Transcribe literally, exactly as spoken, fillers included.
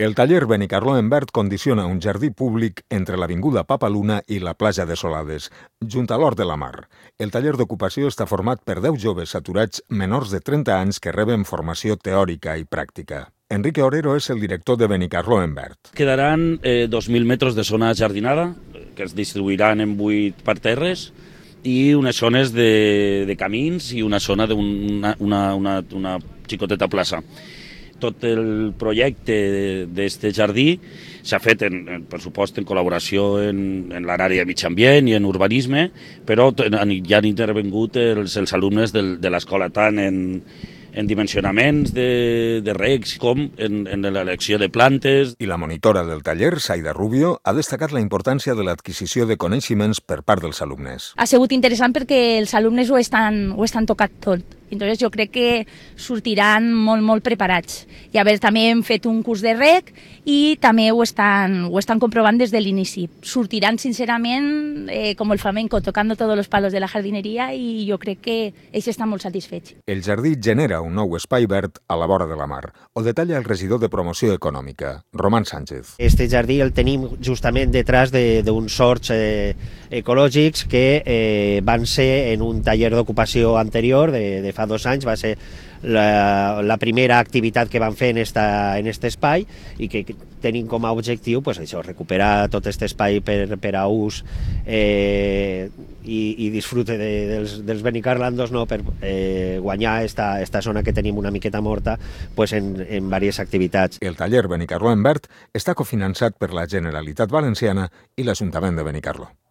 El taller Benicarló en Verd condiciona un jardí públic entre l'avinguda Papaluna i la platja de Solades, junt a l'Hort de la Mar. El taller d'ocupació està format per deu joves aturats menors de trenta anys que reben formació teòrica i pràctica. Enrique Orero és el director de Benicarló en Verd. Quedaran eh, dos mil metres de zona jardinada, que es distribuiran en vuit parterres, i unes zones de, de camins i una zona d'una una, una, una xicoteta plaça. Tot el projecte d'aquest jardí s'ha fet, en, en, per supost, en col·laboració en, en l'àrea de mig ambient i en urbanisme, però ja han intervingut els, els alumnes del, de l'escola tant en, en dimensionaments de, de regs com en, en l'elecció de plantes. I la monitora del taller, Saida Rubio, ha destacat la importància de l'adquisició de coneixements per part dels alumnes. Ha sigut interessant perquè els alumnes ho estan, ho estan tocat tot. Entonces jo crec que sortiran molt, molt preparats. I a veure, també hem fet un curs de reg i també ho estan, ho estan comprovant des de l'inici. Sortiran, sincerament, eh, com el flamenco, tocando todos los palos de la jardineria, i jo crec que ells estan molt satisfets. El jardí genera un nou espai verd a la vora de la mar. Ho detalla el regidor de Promoció Econòmica, Román Sánchez. Este jardí el tenim justament detrás d'uns horts eh, ecològics que eh, van ser en un taller d'ocupació anterior de, de fa dos anys, va ser la, la primera activitat que van fer en esta, en este espai i que tenim com a objectiu pues, això, recuperar tot aquest espai per, per a ús eh, i, i disfrute de, dels, dels benicarlandos, no? Per eh, guanyar esta, esta zona que tenim una miqueta morta pues, en, en diverses activitats. El taller Benicarló en Verd està cofinançat per la Generalitat Valenciana i l'Ajuntament de Benicarló.